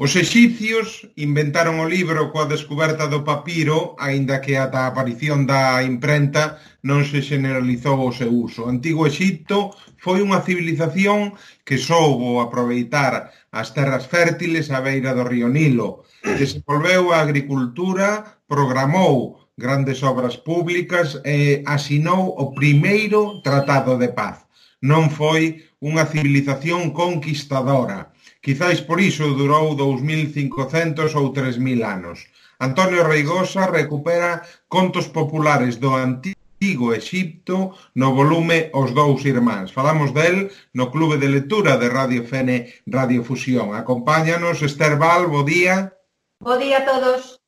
Os exipcios inventaron o libro coa descuberta do papiro, aínda que ata a aparición da imprenta non se generalizou o seu uso. O Antigo Exipto foi unha civilización que soubo aproveitar as terras fértiles á beira do río Nilo, desenvolveu a agricultura, programou grandes obras públicas e asinou o primeiro tratado de paz. Non foi unha civilización conquistadora. Quizáis por iso durou 2500 ou 3000 anos. Antonio Reigosa recupera contos populares do Antigo Exipto no volume Os Dous Irmáns. Falamos del no Clube de Lectura de Radio Fene Radiofusión. Acompáñanos Esther Val, bo día. Bo día a todos.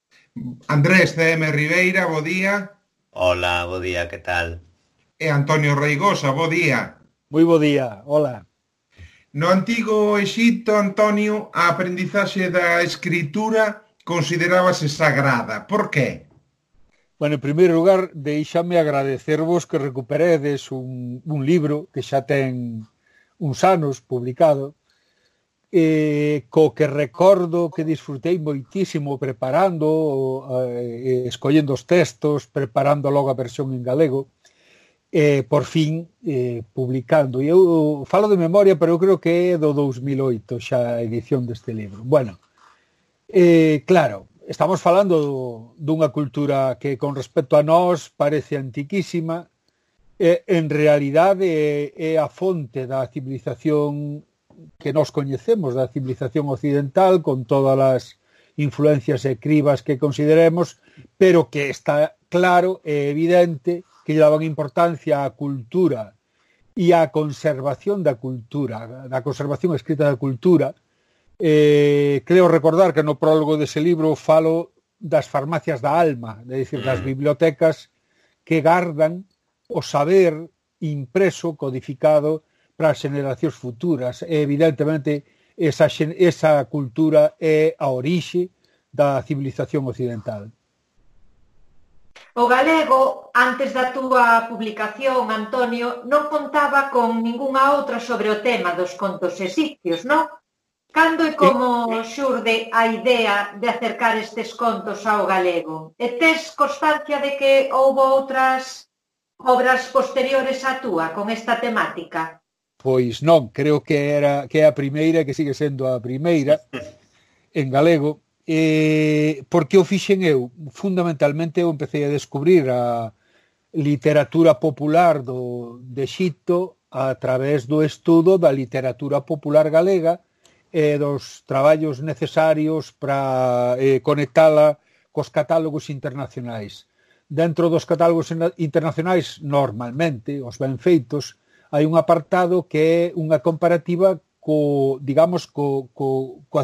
Andrés C.M. Ribeira, bo día. Hola, bo día, que tal? E Antonio Reigosa, bo día. Moi bo día, hola. No Antigo Exipto, Antonio, a aprendizaxe da escritura considerábase sagrada. Por qué? Bueno, en primeiro lugar, deixame agradecervos que recuperedes un libro que xa ten uns anos publicado, co que recordo que disfrutei moitísimo preparando, escollendo os textos, preparando logo a versión en galego, por fin publicando. E eu falo de memoria, pero eu creo que é do 2008 xa a edición deste libro. Bueno, claro, estamos falando dunha cultura que con respecto a nós parece antiquísima, en realidade é a fonte da civilización que nós coñecemos, da civilización occidental, con todas as influencias e cribas que consideremos, pero que está claro e evidente que lle daban importancia á cultura e á conservación da cultura, da conservación escrita da cultura. Creo recordar que no prólogo dese libro falo das farmacias da alma, é dicir, das bibliotecas que gardan o saber impreso, codificado para as generacións futuras. E, evidentemente, esa cultura é a orixe da civilización occidental. O galego, antes da túa publicación, Antonio, non contaba con ningunha outra sobre o tema dos contos exipcios, non? Cando e como xurde a idea de acercar estes contos ao galego? E tes constancia de que houbo outras obras posteriores á túa con esta temática? Pois non, creo que é a primeira, que sigue sendo a primeira en galego, porque o fixen eu. Fundamentalmente eu empecé a descubrir a literatura popular de Exipto a través do estudo da literatura popular galega e dos traballos necesarios para conectala cos catálogos internacionais. Dentro dos catálogos internacionais, normalmente, os ben feitos, hai un apartado que é unha comparativa coa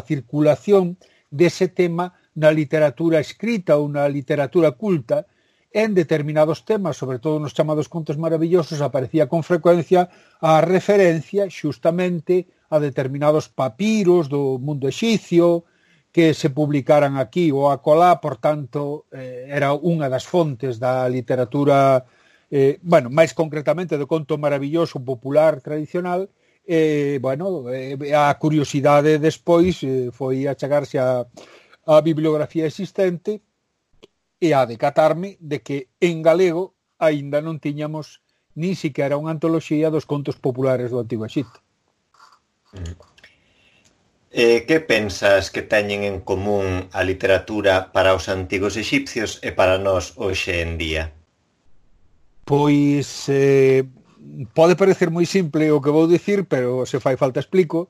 circulación dese tema na literatura escrita ou na literatura culta. En determinados temas, sobre todo nos chamados contos maravillosos, aparecía con frecuencia a referencia xustamente a determinados papiros do mundo exipcio que se publicaran aquí ou acolá. Por tanto, era unha das fontes da literatura, máis concretamente do conto maravilloso popular tradicional. A curiosidade despois foi achegarse a bibliografía existente e a decatarme de que en galego aínda non tiñamos nin siquiera unha antoloxía dos contos populares do Antigo Exipto. Que pensas que teñen en común a literatura para os antigos exipcios e para nós hoxe en día? Pois pode parecer moi simple o que vou dicir, pero se fai falta explico.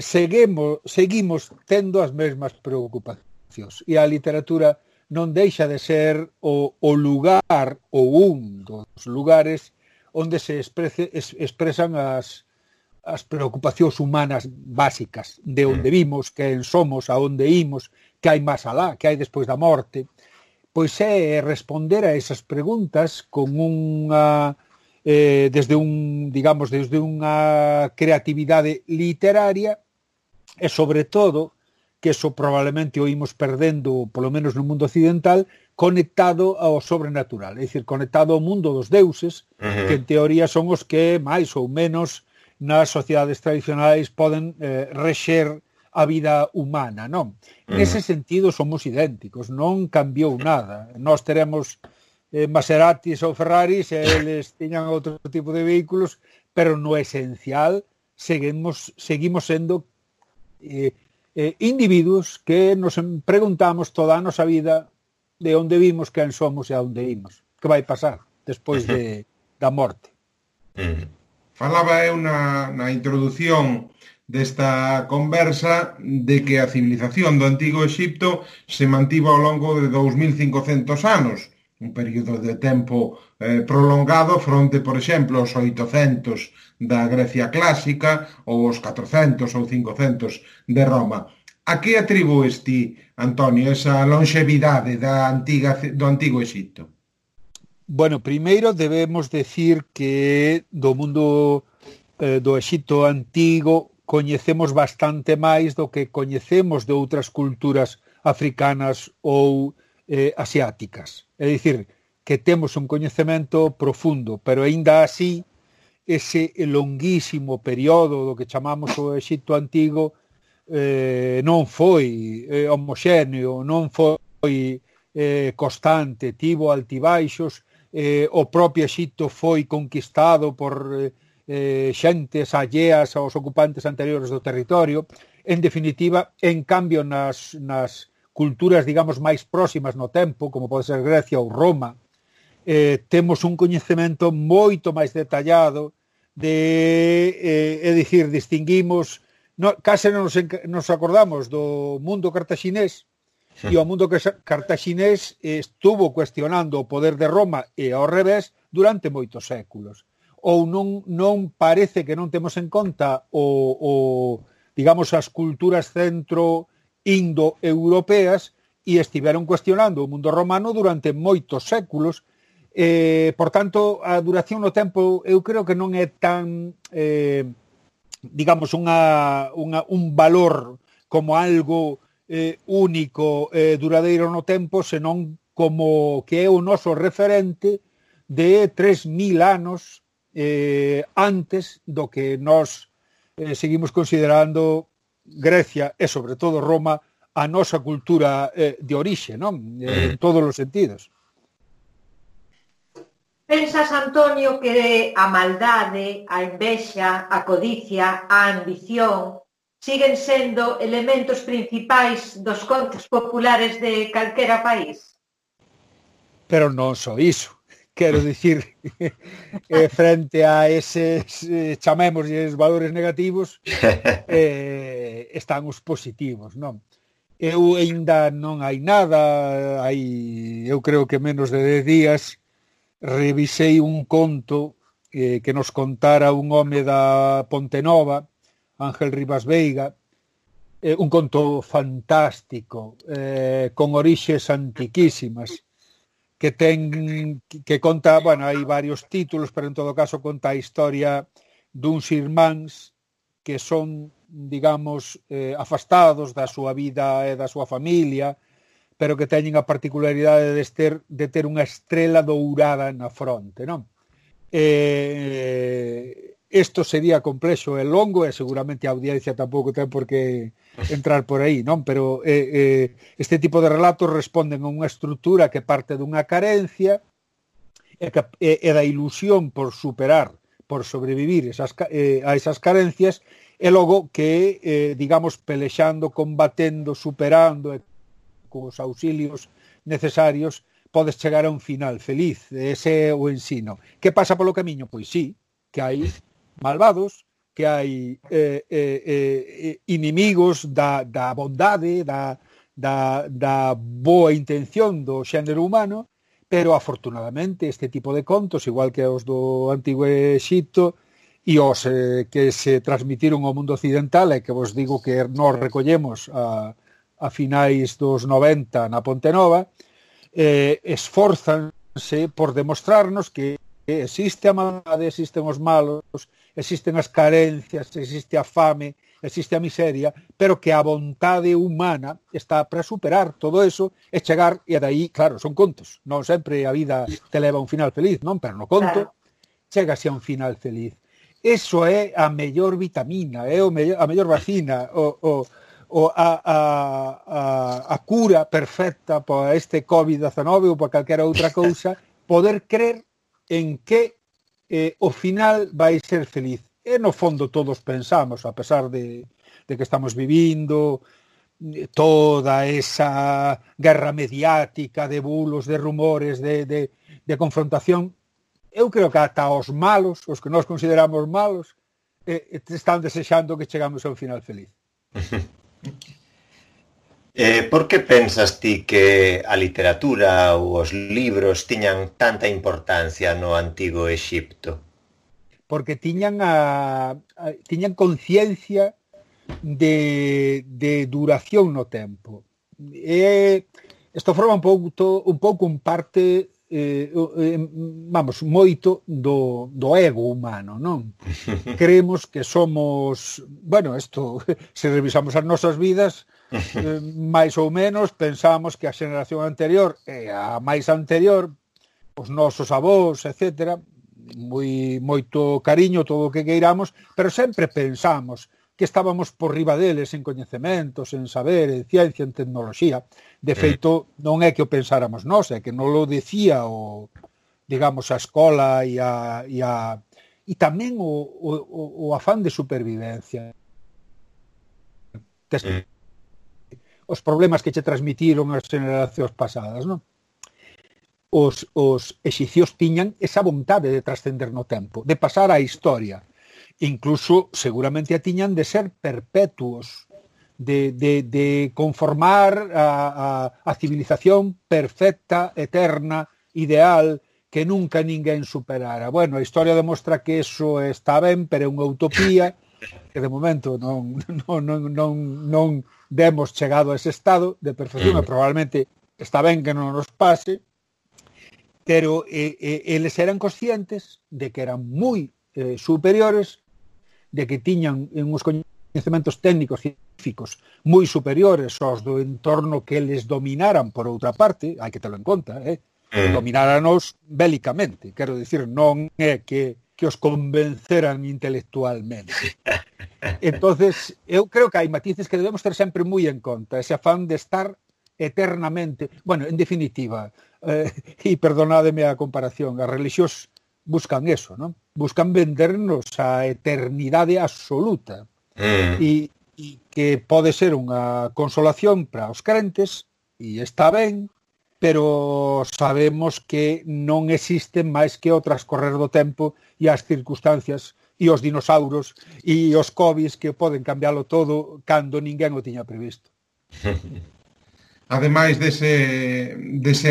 Seguimos tendo as mesmas preocupacións e a literatura non deixa de ser o lugar ou un dos lugares onde se expresan as preocupacións humanas básicas, de onde vimos, quen somos, a onde imos, que hai máis alá, que hai despois da morte. Pois é responder a esas preguntas con desde unha creatividade literaria e, sobre todo, que eso probablemente o imos perdendo, polo menos no mundo occidental, conectado ao sobrenatural, é dicir, conectado ao mundo dos deuses, que en teoría son os que máis ou menos nas sociedades tradicionais poden rexer a vida humana, non? Nese sentido somos idénticos, non cambiou nada. Nós teremos Maseratis ou Ferraris, eles tiñan outro tipo de vehículos, pero no esencial seguimos sendo individuos que nos preguntamos toda a nosa vida de onde vimos, quen somos e a onde imos, que vai pasar despois da morte. Falaba eu na introdución desta conversa de que a civilización do Antigo Exipto se mantivo ao longo de 2500 anos, un período de tempo prolongado fronte, por exemplo, aos 800 da Grecia clásica ou os 400 ou 500 de Roma. A que atribúes ti, Antonio, esa longevidade do Antigo Exipto? Bueno, primeiro debemos decir que do mundo do Exipto antigo coñecemos bastante máis do que coñecemos de outras culturas africanas ou asiáticas. É dicir, que temos un coñecemento profundo, pero aínda así ese longuísimo período do que chamamos o Exipto antigo non foi homoxéneo, non foi constante, tivo altibaixos. O propio Exipto foi conquistado por xentes alleas aos ocupantes anteriores do territorio. En definitiva, en cambio, nas culturas, digamos, máis próximas no tempo, como pode ser Grecia ou Roma, temos un coñecemento moito máis detallado é dicir, distinguimos, case non nos acordamos do mundo cartaxinés, e o mundo cartaxinés estuvo cuestionando o poder de Roma e ao revés durante moitos séculos. Ou non parece que non temos en conta digamos, as culturas centro-indo-europeas e estiveron cuestionando o mundo romano durante moitos séculos. Por tanto, a duración no tempo eu creo que non é tan digamos, un valor como algo único, duradeiro no tempo, senón como que é o noso referente de 3000 anos antes do que nós seguimos considerando Grecia e, sobre todo, Roma a nosa cultura de orixe, non? En todos os sentidos. Pensas, Antonio, que a maldade, a envexa, a codicia, a ambición siguen sendo elementos principais dos contos populares de calquera país? Pero non só iso. Quero dicir, frente a eses, chamémosles, valores negativos, están os positivos, non? Eu ainda non hai nada, eu creo que menos de 10 días, revisei un conto que nos contara un home da Pontenova, Ángel Rivas Veiga, un conto fantástico, con orixes antiquísimas, que conta, bueno, hai varios títulos, pero en todo caso conta a historia duns irmáns que son, digamos, afastados da súa vida e da súa familia, pero que teñen a particularidade de ter unha estrela dourada na fronte, non? Isto sería complexo e longo e seguramente a audiencia tampouco ten por que entrar por aí, non? Pero este tipo de relatos responden a unha estrutura que parte dunha carencia e da ilusión por superar, por sobrevivir a esas carencias e logo que, digamos, pelexando, combatendo, superando e cos auxilios necesarios podes chegar a un final feliz. Ese é o ensino. Que pasa polo camiño? Pois sí, que hai malvados, que hai inimigos da bondade, da boa intención do xénero humano, pero afortunadamente este tipo de contos, igual que os do Antigo Exipto e os que se transmitiron ao mundo occidental e que vos digo que nós recollemos a finais dos 90 na Pontenova, esforzanse por demostrarnos que existe a maldade, existen os malos, existen as carencias, existe a fame, existe a miseria, pero que a vontade humana está para superar todo eso e chegar, e dai, claro, son contos, non sempre a vida te leva a un final feliz, non? Pero no conto, chegase a un final feliz. Eso é a mellor vitamina, é a mellor vacina, a cura perfecta para este COVID-19 ou para calquera outra cousa, poder crer en que o final vai ser feliz. E no fondo todos pensamos, a pesar de que estamos vivindo toda esa guerra mediática de bulos, de rumores, de confrontación, eu creo que ata os malos, os que nós consideramos malos, están desexando que chegamos a un final feliz. Por que pensas ti que a literatura ou os libros tiñan tanta importancia no antigo Exipto? Porque tiñan conciencia de duración no tempo. Isto forma un pouco un parte moito do ego humano, non? Creemos que somos, isto, se revisamos as nosas vidas, máis ou menos pensamos que a xeración anterior e a máis anterior, os nosos avós, etcétera, moito cariño, todo o que queiramos, pero sempre pensamos que estábamos por riba deles en coñecementos, en saber, en ciencia, en tecnoloxía. De feito, non é que o pensáramos nós, é que non lo decía a escola e tamén o afán de supervivencia. Os problemas que che transmitiron as generacións pasadas, non? Os exicios tiñan esa vontade de trascender no tempo, de pasar á historia. Incluso seguramente a tiñan de ser perpetuos, de conformar a civilización perfecta, eterna, ideal, que nunca ninguén superara. Bueno, a historia demostra que eso está ben, pero é unha utopía, que de momento non demos chegado a ese estado de perfección, e probablemente está ben que non nos pase, pero eles eran conscientes de que eran moi superiores, de que tiñan uns coñecementos técnicos científicos moi superiores aos do entorno que eles dominaran por outra parte, hai que telo en conta, domináranos bélicamente, quero dicir, non é que os convenceran intelectualmente. Entonces, eu creo que hai matices que debemos ter sempre moi en conta, ese afán de estar eternamente, en definitiva, e perdonádeme a comparación, as religións buscan eso, non? Buscan vendernos a eternidade absoluta e que pode ser unha consolación para os crentes, e está ben, pero sabemos que non existen máis que o transcorrer do tempo e as circunstancias e os dinosauros e os covis que poden cambiálo todo cando ninguén o tiña previsto. Ademais dese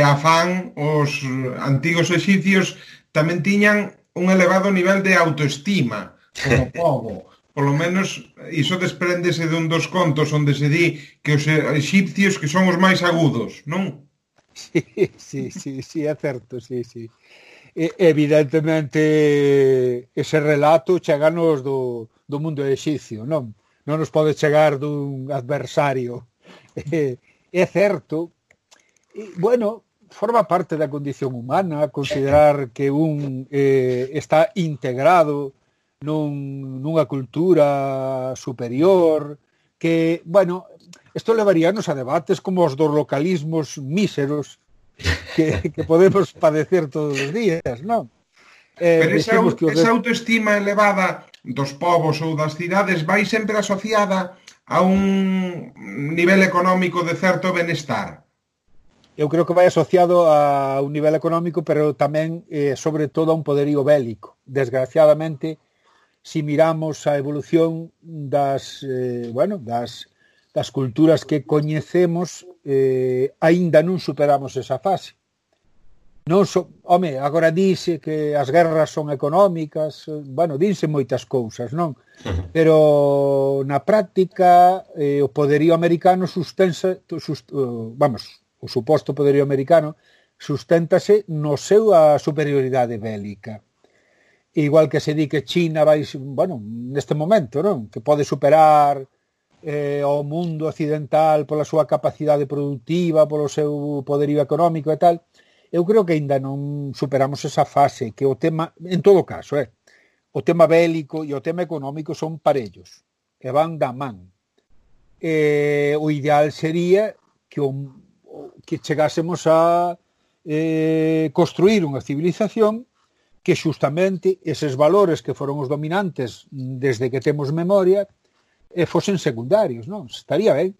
afán, os antigos exicios tamén tiñan un elevado nivel de autoestima como pobo. Polo menos iso despréndese dun dos contos onde se di que os exipcios que son os máis agudos, non? Sí, é certo, sí. Evidentemente ese relato cheganos do mundo exipcio, non nos pode chegar dun adversario. É certo. Forma parte da condición humana considerar que un está integrado nunha cultura superior, que, isto levaríanos a debates como os dos localismos míseros que podemos padecer todos os días, non? Pero esa autoestima elevada dos povos ou das cidades vai sempre asociada a un nivel económico de certo benestar. Eu creo que vai asociado a un nivel económico, pero tamén, sobre todo, a un poderío bélico. Desgraciadamente, si miramos a evolución das culturas que coñecemos, aínda non superamos esa fase. Agora dise que as guerras son económicas, dinse moitas cousas, non? Pero na práctica o poderío americano o suposto poderío americano susténtase no seu a superioridade bélica. Igual que se di que China vai, neste momento, non? Que pode superar o mundo occidental pola súa capacidade productiva, polo seu poderío económico e tal. Eu creo que aínda non superamos esa fase, que o tema, en todo caso, o tema bélico e o tema económico son parellos, e van da man. o ideal sería que chegásemos a construir unha civilización que xustamente eses valores que foron os dominantes desde que temos memoria fosen secundarios, non? Estaría ben.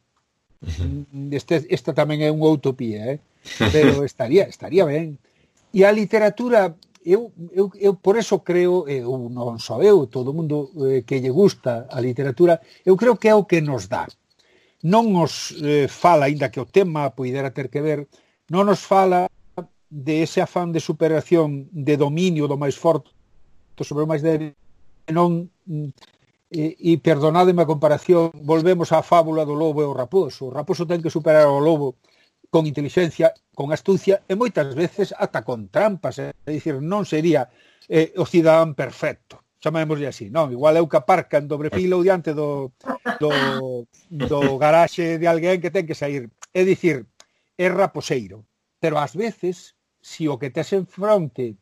Esta tamén é unha utopía, pero estaría ben. E a literatura, eu por eso creo, non só eu, todo o mundo que lle gusta a literatura, eu creo que é o que nos dá. Non nos fala, aínda que o tema poidera ter que ver, non nos fala de ese afán de superación, de dominio do máis forte sobre o máis débil, non, e perdonádeme a comparación, volvemos á fábula do lobo e o raposo. O raposo ten que superar ao lobo con inteligencia, con astucia, e moitas veces ata con trampas, é dicir, non sería o cidadán perfecto, chamémoslle así, non? Igual é o que aparca en dobre fila ou diante do garaxe de alguén que ten que sair. É dicir, é raposeiro, pero ás veces, si o que tes en fronte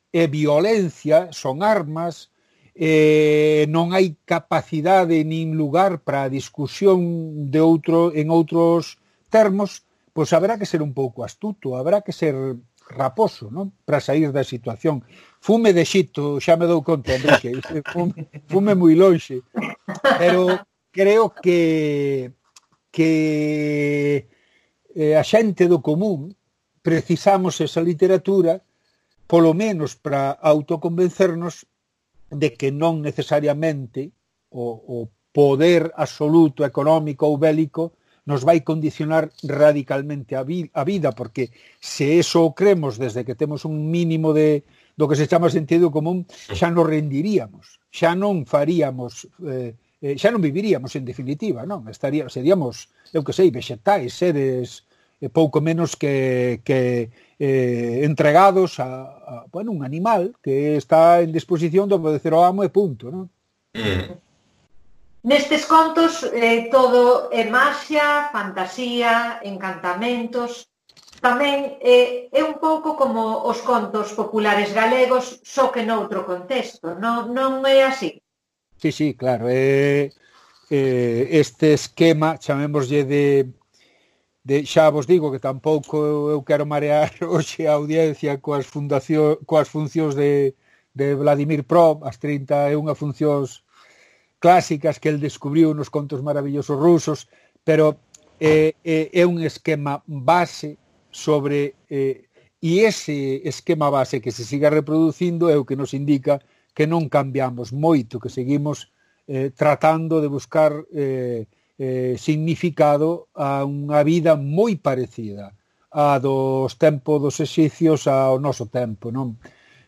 é violencia, son armas, non hai capacidade nin lugar para a discusión en outros termos, pois haberá que ser un pouco astuto, haberá que ser raposo, non? Para sair da situación. Fume de Xito, xa me dou conta, Enrique, fume moi lonxe, pero creo que a xente do común precisamos esa literatura, polo menos para autoconvencernos de que non necesariamente o poder absoluto económico ou bélico nos vai condicionar radicalmente a vida, porque se eso o cremos desde que temos un mínimo do que se chama sentido común, xa nos rendiríamos, xa non faríamos, xa non viviríamos en definitiva, non? Seríamos, eu que sei, vexetais, seres pouco menos que entregados a un animal que está en disposición de obedecer ao amo e punto, non? Nestes contos todo é maxia, fantasía, encantamentos. Tamén é un pouco como os contos populares galegos, só que noutro contexto, non é así? Sí, claro. Este esquema, chamémoslle xa vos digo que tampouco eu quero marear hoxe a audiencia coas funcións de Vladimir Pro, as 31 funcións clásicas que el descubriu nos contos maravillosos rusos, pero é un esquema base sobre e ese esquema base que se siga reproducindo é o que nos indica que non cambiamos moito, que seguimos tratando de buscar significado a unha vida moi parecida a dos tempos dos exicios ao noso tempo, non?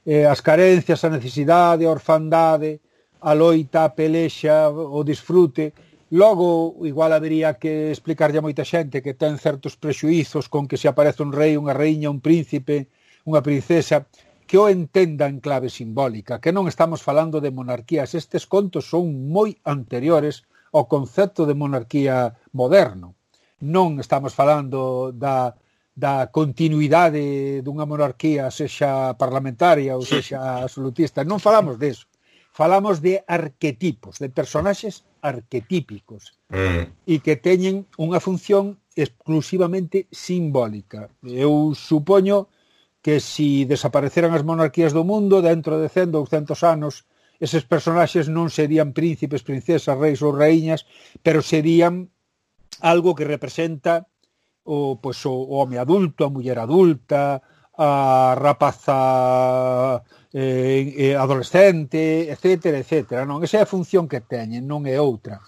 As carencias, a necesidade, a orfandade, a loita, a pelexa, o disfrute. Logo, igual habería que explicarlle a moita xente que ten certos prexuizos con que se aparece un rei, unha raíña, un príncipe, unha princesa, que o entenda en clave simbólica, que non estamos falando de monarquías. Estes contos son moi anteriores ao concepto de monarquía moderno. Non estamos falando da continuidade dunha monarquía, sexa parlamentaria ou sexa absolutista. Non falamos deso. Falamos de arquetipos, de personaxes arquetípicos e que teñen unha función exclusivamente simbólica. Eu supoño que se desapareceran as monarquías do mundo, dentro de 100, 200 anos, eses personaxes non serían príncipes, princesas, reis ou raíñas, pero serían algo que representa o home adulto, a muller adulta, a rapaza adolescente, etcétera, etcétera. Non? Esa é a función que teñen, non é outra.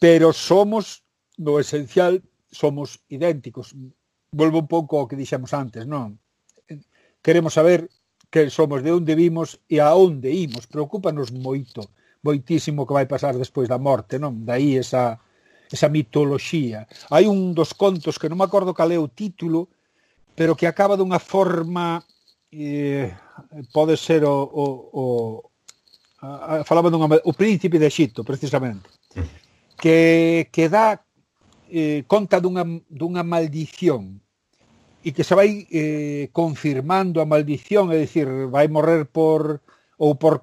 Pero somos, no esencial, somos idénticos. Volvo un pouco ao que dixemos antes, non? Queremos saber que somos, de onde vimos e a onde imos. Preocúpanos moitísimo que vai pasar despois da morte, non? Daí esa mitoloxía. Hai un dos contos que non me acordo cal é o título, pero que acaba dunha forma pode ser falaba o príncipe de Xito, precisamente, que dá conta dunha maldición e que se vai confirmando a maldición, é dicir, vai morrer por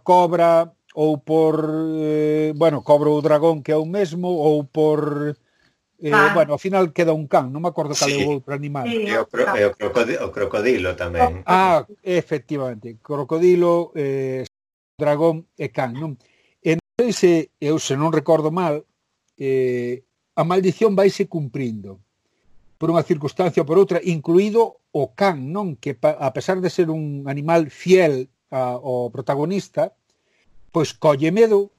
cobra ou por cobra ou dragón, que é o mesmo, ou por Bueno, ao final queda un can, non me acordo cal é o outro animal. E o crocodilo tamén. Efectivamente, crocodilo, dragón e can, non? E non sei se, eu se non recordo mal, a maldición vaise cumprindo por unha circunstancia ou por outra, incluído o can, non? Que a pesar de ser un animal fiel ao protagonista, pois colle medo,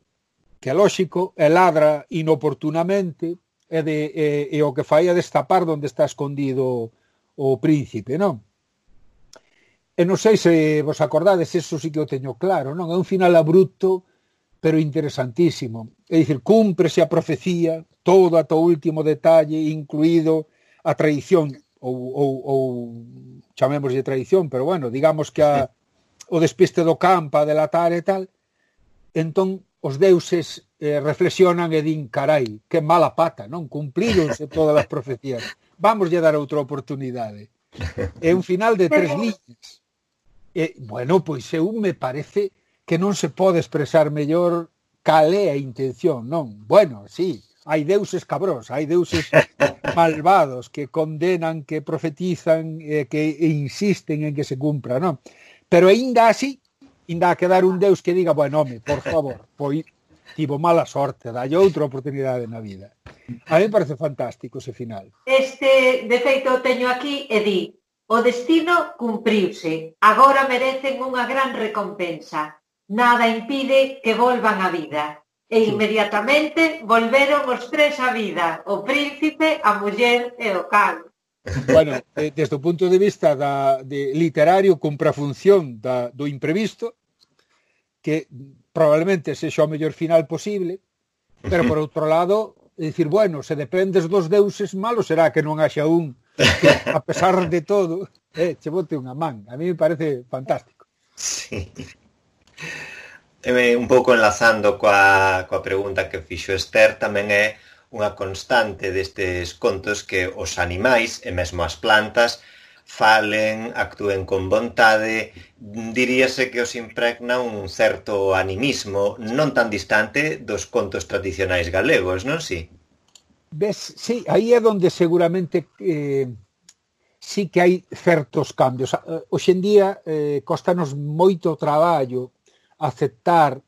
que é lóxico, e ladra inoportunamente, e o que fai é destapar onde está escondido o príncipe, non? E non sei se vos acordades, eso sí que o teño claro, non? É un final abrupto, pero interesantísimo. É dicir, cúmprese a profecía, todo ata o último detalle, incluído a traición, ou chamémoslle traición, pero bueno, digamos que o despiste do campo, a delatar e tal, entón os deuses reflexionan e din, carai, que mala pata, non? Cumplíronse todas as profecías. Vamoslle dar outra oportunidade. É un final de 3 liñas. Bueno, pois eu me parece que non se pode expresar mellor cal é a intención, non? Bueno, sí, hai deuses cabróns, hai deuses malvados que condenan, que profetizan, que insisten en que se cumpra, non? Pero aínda así, ainda a quedar un deus que diga, bueno, home, por favor, pois tivo mala sorte, dalle outra oportunidade na vida. A mí me parece fantástico ese final. De feito, teño aquí e di, o destino cumpriuse, agora merecen unha gran recompensa. Nada impide que volvan á vida. E inmediatamente volveron os 3 á vida, o príncipe, a muller e o can. Bueno, desde o punto de vista de literario, cumpre a función do imprevisto, que probablemente sexa o mellor final posible, pero por outro lado, é dicir, bueno, se dependes dos deuses, malo será que non haxa un que, a pesar de todo, che bote unha man. A mí me parece fantástico. Sí. Un pouco enlazando coa pregunta que fixo Esther, tamén é unha constante destes contos que os animais e mesmo as plantas falen, actúen con vontade, diríase que os impregna un certo animismo non tan distante dos contos tradicionais galegos, non si? Ves, sí, aí é onde seguramente sí que hai certos cambios. Hoxe en día costanos moito traballo aceptar,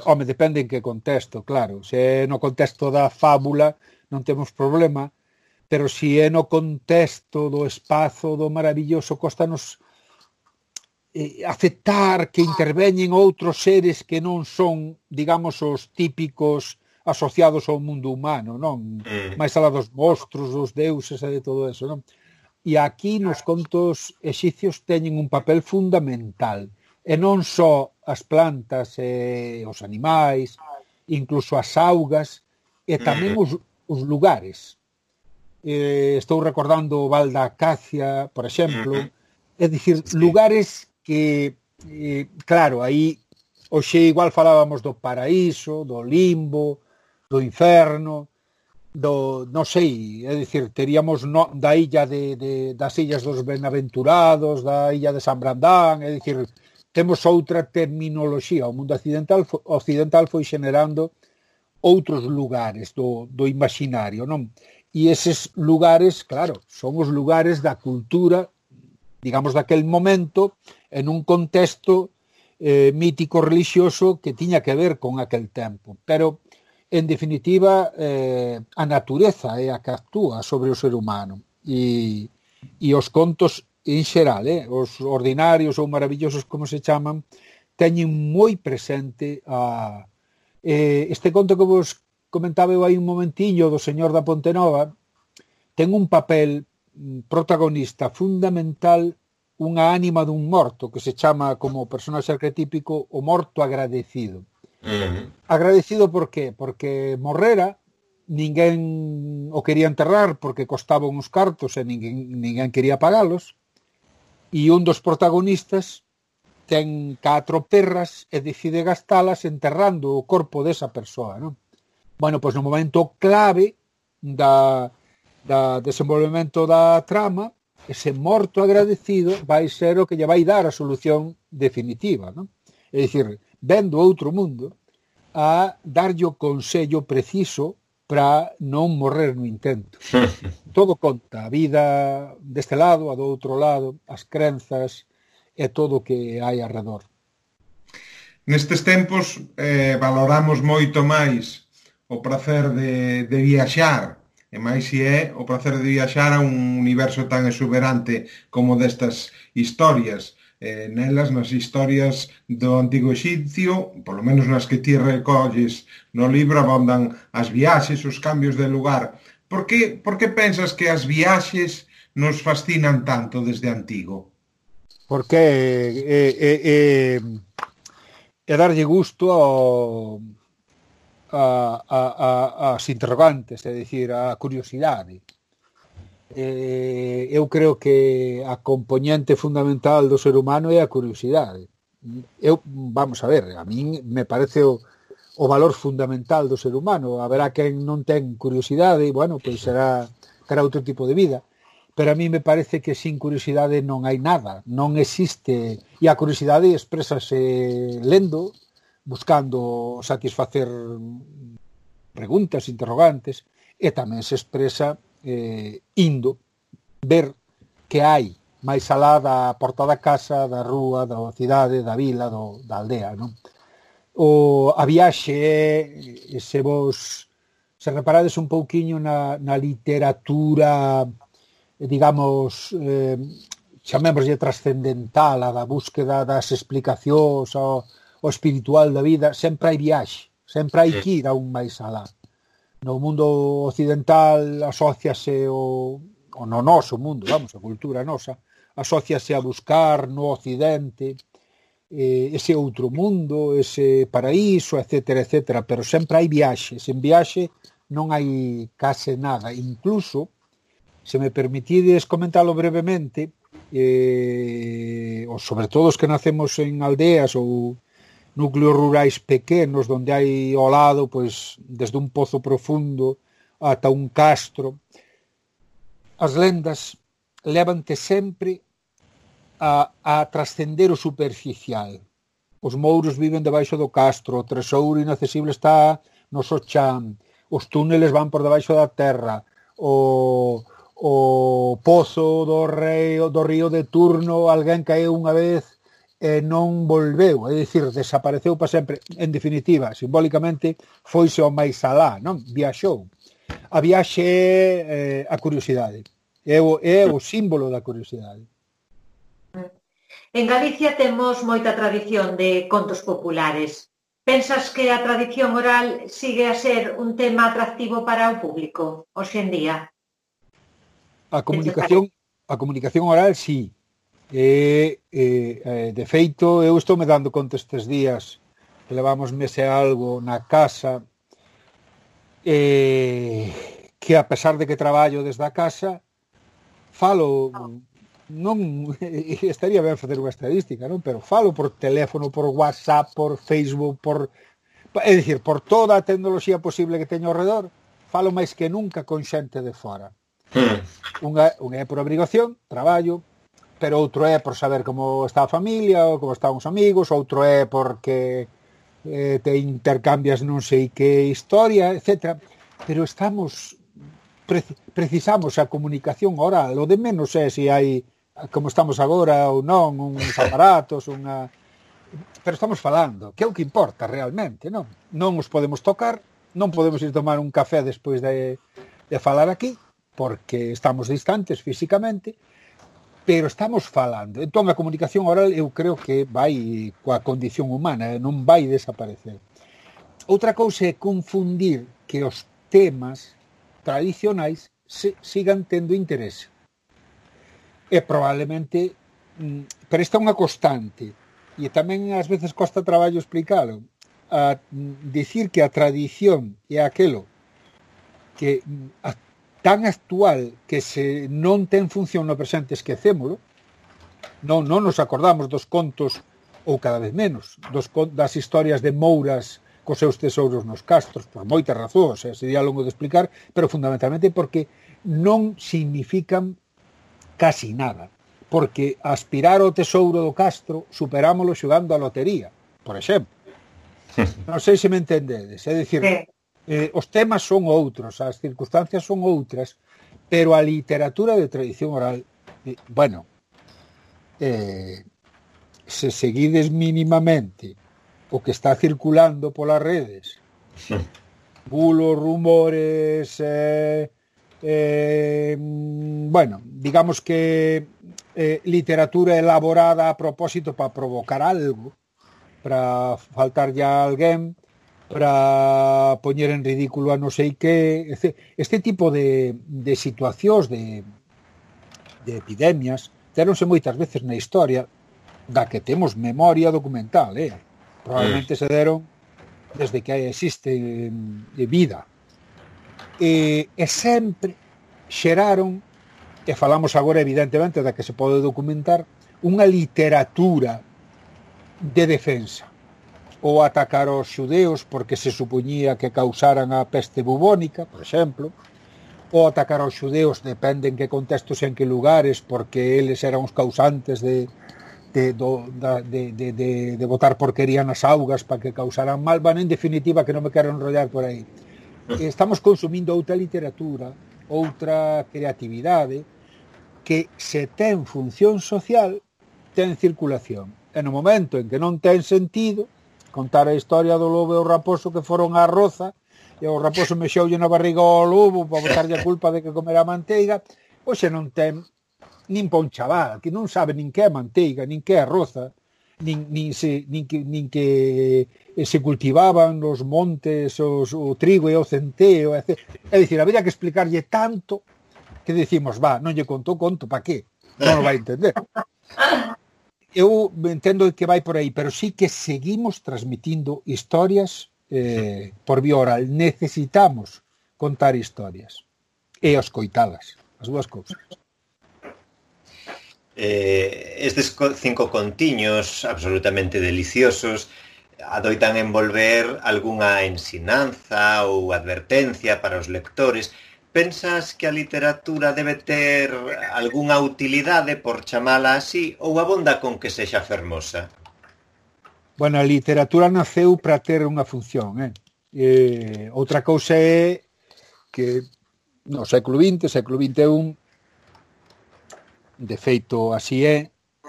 home, depende en que contexto, claro, se é no contexto da fábula non temos problema, pero se é no contexto do espazo do maravilloso, costanos aceptar que interveñen outros seres que non son, digamos, os típicos asociados ao mundo humano, non? Mais alá dos monstros, dos deuses e de todo eso, non? E aquí nos contos exicios teñen un papel fundamental, e non só as plantas e os animais, incluso as augas, e tamén os lugares. Estou recordando o Val da Acacia, por exemplo, é dicir, lugares que, claro, aí hoxe igual falábamos do paraíso, do limbo, do inferno, non sei, é dicir, teríamos da illa das illas dos Benaventurados, da illa de San Brandán, é dicir, temos outra terminoloxía. O mundo occidental foi generando outros lugares do imaginario, non? E eses lugares, claro, son os lugares da cultura, digamos, daquel momento, en un contexto mítico religioso que tiña que ver con aquel tempo. Pero, en definitiva, a natureza é a que actúa sobre o ser humano. E os contos, en xeral, os ordinarios ou maravillosos, como se chaman, teñen moi presente este conto que vos comentaba eu aí un momentiño do señor da Pontenova, ten un papel protagonista fundamental, unha ánima dun morto que se chama como personaxe arquetípico o morto agradecido. Agradecido por qué? Porque morrera, ninguén o quería enterrar porque costaban uns cartos e ninguén quería pagalos, e un dos protagonistas ten 4 perras e decide gastalas enterrando o corpo desa persoa, non? Bueno, pois no momento clave da desenvolvemento da trama, ese morto agradecido vai ser o que lle vai dar a solución definitiva, non? É dicir, vendo outro mundo a darlle o consello preciso para non morrer no intento. Todo conta, a vida deste lado, a do outro lado, as crenzas e todo o que hai arredor. Nestes tempos valoramos moito máis o prazer de viaxar, e máis se é o prazer de viaxar a un universo tan exuberante como destas historias. Nelas, nas historias do Antigo Exipcio, polo menos nas que ti recolles no libro, abondan as viaxes, os cambios de lugar. Por que pensas que as viaxes nos fascinan tanto desde antigo? Porque é darlle gusto as interrogantes, é dicir, a curiosidade. Eu creo que a componente fundamental do ser humano é a curiosidade. Vamos a ver, a min me parece o valor fundamental do ser humano. Haberá quen non ten curiosidade, e, bueno, pois terá outro tipo de vida. Pero a mí me parece que sin curiosidade non hai nada, non existe. E a curiosidade exprésase lendo, buscando satisfacer preguntas, interrogantes, e tamén se expresa indo ver que hai máis alá da porta da casa, da rúa, da cidade, da vila, da aldea, non? A viaxe é, se reparades un pouquiño na literatura, digamos, chamémoslle trascendental, a da búsqueda das explicacións, o espiritual da vida, sempre hai viaxe, sempre hai que ir a un máis alá. No mundo occidental asóciase o no noso mundo, vamos, a cultura nosa, asóciase a buscar no occidente ese outro mundo, ese paraíso, etcétera, etcétera, pero sempre hai viaxe. Sen viaxe non hai case nada. Incluso, se me permitides comentalo brevemente, ou sobre todo os que nacemos en aldeas ou núcleos rurais pequenos onde hai ao lado, pois, desde un pozo profundo ata un castro, as lendas levante sempre a trascender o superficial. Os mouros viven debaixo do castro, o tesouro inaccesible está no Sochan, os túneles van por debaixo da terra, o pozo do río de Turno, alguén caeu unha vez e non volveu, é dicir, desapareceu para sempre. En definitiva, simbólicamente, foise ao máis alá, non? Viaxou. A viaxe é a curiosidade, é o símbolo da curiosidade. En Galicia temos moita tradición de contos populares. Pensas que a tradición oral sigue a ser un tema atractivo para o público hoxe en día? A comunicación oral, sí. De feito, eu estou me dando conta estes días que levamos mese algo na casa, que a pesar de que traballo desde a casa, falo, non estaría ben facer unha estadística, non? Pero falo por teléfono, por WhatsApp, por Facebook, é dicir, por toda a tecnoloxía posible que teño ao redor, falo máis que nunca con xente de fora. Unha é por obrigación, traballo, pero outro é por saber como está a familia ou como están os amigos, outro é porque te intercambias non sei que historia, etc. Pero precisamos a comunicación oral. O de menos é se hai, como estamos agora ou non, uns aparatos, pero estamos falando, que é o que importa realmente, non? Non os podemos tocar, non podemos ir tomar un café despois de falar aquí, porque estamos distantes físicamente, pero estamos falando. Entón, a comunicación oral eu creo que vai coa condición humana, non vai desaparecer. Outra cousa é confundir que os temas tradicionais sigan tendo interese. E probablemente, pero esta é unha constante, e tamén ás veces costa traballo explicalo, a dicir que a tradición é aquelo que tan actual que se non ten función no presente esquecémolo, non nos acordamos dos contos, ou cada vez menos, das historias de mouras cos seus tesouros nos castros, por moitas razóns, sería longo de explicar, pero fundamentalmente porque non significan casi nada, porque aspirar ao tesouro do castro superámolo xogando a lotería, por exemplo. Non sei se me entendedes, é dicir, Os temas son outros, as circunstancias son outras, pero a literatura de tradición oral, bueno, se seguides mínimamente o que está circulando polas redes, bulos, rumores, bueno, digamos que literatura elaborada a propósito para provocar algo, para faltar ya alguén, para poñer en ridículo a non sei que, este tipo de situacións de epidemias teronse moitas veces na historia da que temos memoria documental, probablemente se deron desde que existe vida, e sempre xeraron, e falamos agora evidentemente da que se pode documentar, unha literatura de defensa. Ou atacar aos xudeus porque se supoñía que causaran a peste bubónica, por exemplo, ou atacar aos xudeus, depende en que contextos e en que lugares, porque eles eran os causantes de botar porquería nas augas para que causaran mal. Bueno, en definitiva, que non me quero enrollar por aí. Estamos consumindo outra literatura, outra creatividade, que se ten función social, ten circulación. E no momento en que non ten sentido, contar a historia do lobo e o raposo que foron á roza, e o raposo mexoulle na barriga ao lobo para botarlle a culpa de que comera manteiga, hoxe non ten nin pa un chaval, que non sabe nin que é manteiga, nin que é roza, nin que se cultivaban nos montes o trigo e o centeo, é dicir, habría que explicarlle tanto que decimos, non lle conto, pa que? Non o vai entender. Eu entendo que vai por aí, pero sí que seguimos transmitindo historias por vía oral. Necesitamos contar historias e escoitalas, as dúas cousas. Estes 5 contiños absolutamente deliciosos adoitan envolver algunha ensinanza ou advertencia para os lectores. Pensas que a literatura debe ter algunha utilidade, por chamala así, ou abonda con que sexa fermosa? Bueno, a literatura naceu para ter unha función. Outra cousa é que no século XX, século XXI, de feito así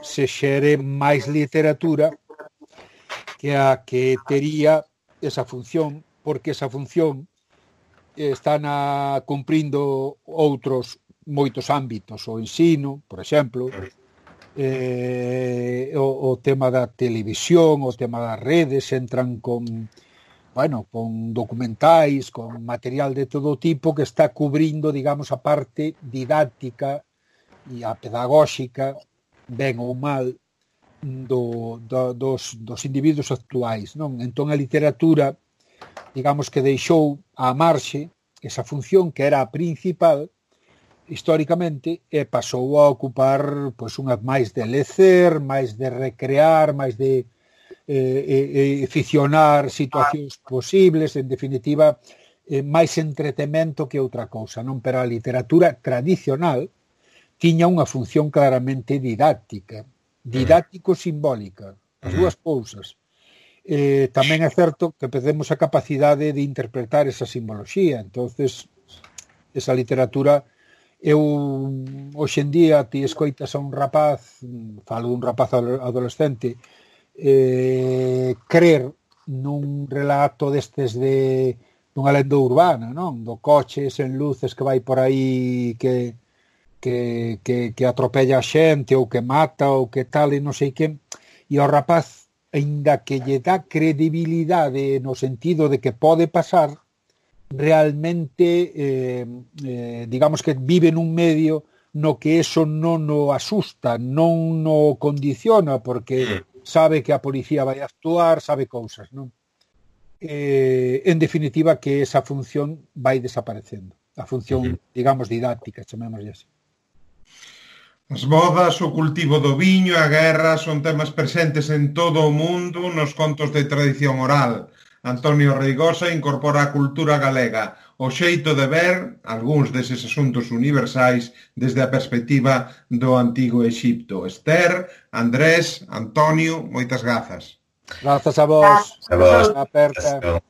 se xere máis literatura que a que tería esa función, porque esa función están cumprindo outros moitos ámbitos, o ensino, por exemplo, o tema da televisión, o tema das redes, entran con documentais, con material de todo tipo que está cubrindo, digamos, a parte didáctica e a pedagóxica, ben ou mal, dos individuos actuais, non? Entón a literatura, digamos que deixou á marxe esa función que era a principal históricamente e pasou a ocupar unha máis de lecer, máis de recrear, máis de ficcionar situacións posibles, en definitiva máis entretemento que outra cousa, non? Pero a literatura tradicional tiña unha función claramente didáctica, didáctico-simbólica, as dúas cousas. Tamén é certo que perdemos a capacidade de interpretar esa simboloxía, entonces esa literatura, eu hoxe en día ti escoitas a un rapaz, falo dun rapaz adolescente, crer nun relato destes dunha lenda urbana, non? Do coche sen luces que vai por aí que atropella a xente ou que mata ou que tal e non sei que, e o rapaz, aínda que lle dá credibilidade no sentido de que pode pasar, realmente digamos que vive nun medio no que eso non o asusta, non o condiciona, porque sabe que a policía vai actuar, sabe cousas, non? En definitiva, que esa función vai desaparecendo, a función, digamos, didáctica, chamémoslle así. As bodas, o cultivo do viño, a guerra son temas presentes en todo o mundo nos contos de tradición oral. Antonio Reigosa incorpora a cultura galega, o xeito de ver algúns deses asuntos universais desde a perspectiva do antigo Exipto. Esther, Andrés, Antonio, moitas grazas. Grazas a vos. A vos. Aperta.